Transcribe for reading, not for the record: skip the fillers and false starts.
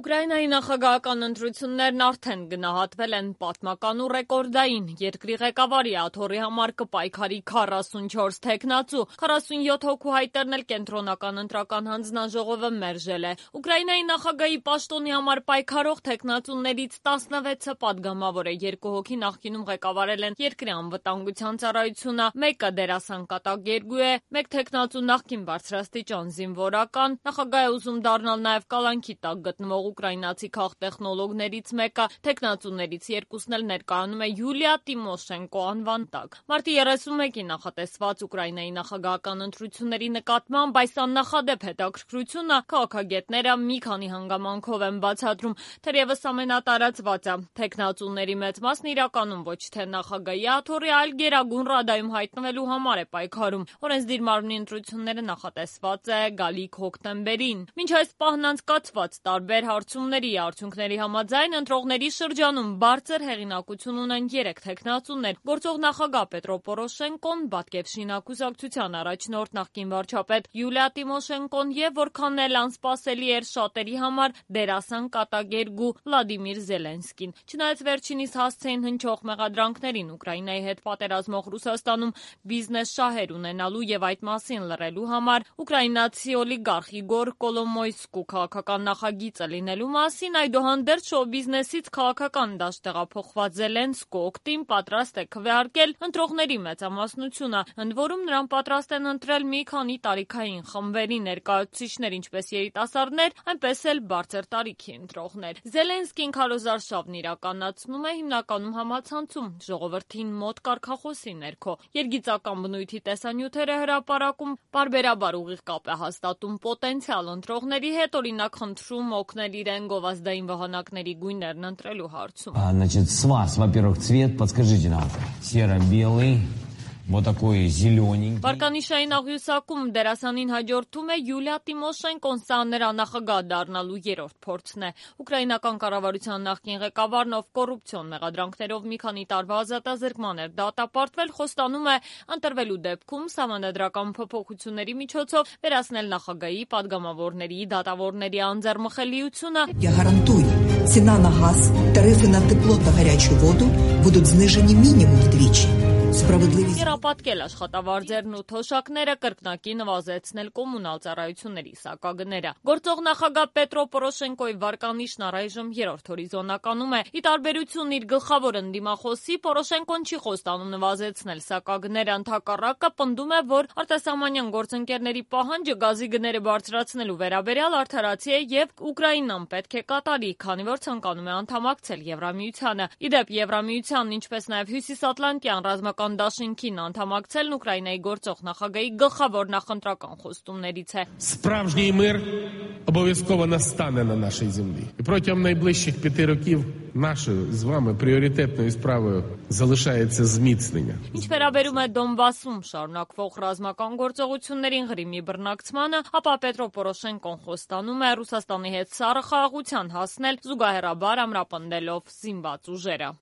Ուկրաինայի նախագահական ընտրություններն արդեն գնահատվել են պատմական ու ռեկորդային։ Երկրի ղեկավարի աթոռի համար կպայքարի 44 թեկնածու, 47 հոգու հայտերն էլ կենտրոնական ընտրական հանձնաժողովը մերժել է։ Ուկրաինայի նախագահի պաշտոնի համար պայքարող թեկնածուներից 16-ը պատգամավոր է, 2 հոգի նախկինում ղեկավարել են երկրի անվտանգության ծառայությունը, մեկը դերասան կատակերգու է, մեկ թեկնածու նախկին բարձրաստիճան զինվորական, նախագահ է ուզում դառնալ նաև կալանքի տակ գտնվող ուկրաինացի քաղտեխնոլոգներից մեկը, թեկնածուներից երկուսն էլ ներկայանում է Յուլիա Տիմոշենկո անվան տակ։ Մարտի 31-ին նախատեսված Ուկրաինայի նախագահական ընտրությունների նկատմամբ այս աննախադեպ հետաքրքրությունը քաղաքագետները մի քանի հանգամանքով են բացատրում, թերևս ամենատարածվածը թեկնածուների մեծ մասն իրականում ոչ թե նախագահի աթոռի, այլ Գերագույն ռադայում հայտնվելու համար է պայքարում։ Օրենսդիր մարմնի ընտրությունները նախատեսված է գալիք հոկտեմբերին։ Մինչ այս պահն անցկացված տարբեր հարցումների արդյունքների համաձայն ընտրողների շրջանում բարձր հեղինակություն ունեն 3 թեկնածուներ՝ գործող նախագահ Պետրո Պորոշենկոն, Բատկևշին կուսակցության առաջնորդ նախկին վարչապետ Յուլիա Տիմոշենկոն եւ որքան էլ անսպասելի էր շատերի համար դերասան կատակերգու Վլադիմիր Զելենսկին։ Չնայած վերջինիս հասցեին հնչող մեղադրանքներին Ուկրաինայի հետ պատերազմող Ռուսաստանում բիզնես շահեր ունենալու եւ այդ մասին լռելու համար ուկրաինացի օլիգարխ Իգոր Կոլոմոյսկու քաղաքական նախագիծը լինելու մասին, այդուհանդերձ շոու-բիզնեսից քաղաքական դաշտ տեղափոխված Զելենսկու օգտին պատրաստ է քվեարկել ընտրողների մեծամասնությունը, ընդ որում նրան պատրաստ են ընտրել մի քանի տարիքային խմբերի ներկայացուցիչներ, ինչպես երիտասարդներ, այնպես էլ բարձր տարիքի ընտրողներ։ Զելենսկին քարոզարշավն իրականացնում է հիմնականում համացանցում, ժողովրդին մոտ կարգախոսի ներքո։ Երգիծական բնույթի տեսանյութերը հրապարակում, պարբերաբար ուղիղ կապ է հաստատում պոտենցիալ ընտրողների հետ, օրինակ խնդրում օգնել իրեն գովազդային վահանակների գույներն ընտրելու հարցում։ Значит, с вас, во-первых, цвет, подскажите нам, серо-белый, вот такой зелененький. Վարկանիշային աղյուսակում դերասանին հաջորդում է Յուլիա Տիմոշենկոն, սա նրա նախագահ դառնալու 3-րդ փորձն է։ Ուկրաինական կառավարության նախկին ղեկավարն, ով կոռուպցիոն մեղադրանքներով մի քանի տարվա ազատազրկման էր դատապարտվել, խոստանում է ընտրվելու դեպքում սահմանադրական փոփոխությունների միջոցով վերացնել նախագահի, падգամավորների, դատավորների անձեռմխելիությունը։ Я гарантую, цена на газ, тарифы на тепло та горячую воду будут снижены минимум вдвічі. Երապատկել աշխատավարձերն ու թոշակները, կրկնակի նվազեցնել կոմունալ ծառայությունների սակագները։ Գործող նախագահ Պետրո Պորոշենկոյի վարկանիշն առայժմ 3-րդ հորիզոնականում է։ Ի տարբերություն իր գլխավոր ընդդիմախոսի, Պորոշենկոն չի խոստանում նվազեցնել սակագները, ընդհակառակը պնդում է, որ արտասահմանյան գործընկերների պահանջը գազի գները բարձրացնելու վերաբերյալ արդարացի է եւ Ուկրաինան պետք է կատարի, քանի որ ցանկանում է անդամակցել Եվրամիությանը։ Իդեպ Եվրամիությանն, ինչպես նաեւ Հյուսիսատլանտյան ռազմական դաշինքին անդամակցելն Ուկրաինայի գործող նախագահի գլխավոր նախընտրական խոստումներից է։ Справжній мир обов'язково настане на нашій землі. І протягом найближчих 5 років нашою з вами пріоритетною справою залишається зміцнення. Ինչ վերաբերում է Դոնբասում շարունակվող ռազմական գործողություններին, Ղրիմի բռնակցմանը, ապա Պետրո Պորոշենկոն խոստանում է Ռուսաստանի հետ սառը խաղաղության հասնել, զուգահեռաբար ամրապնդելով զինված ուժերը։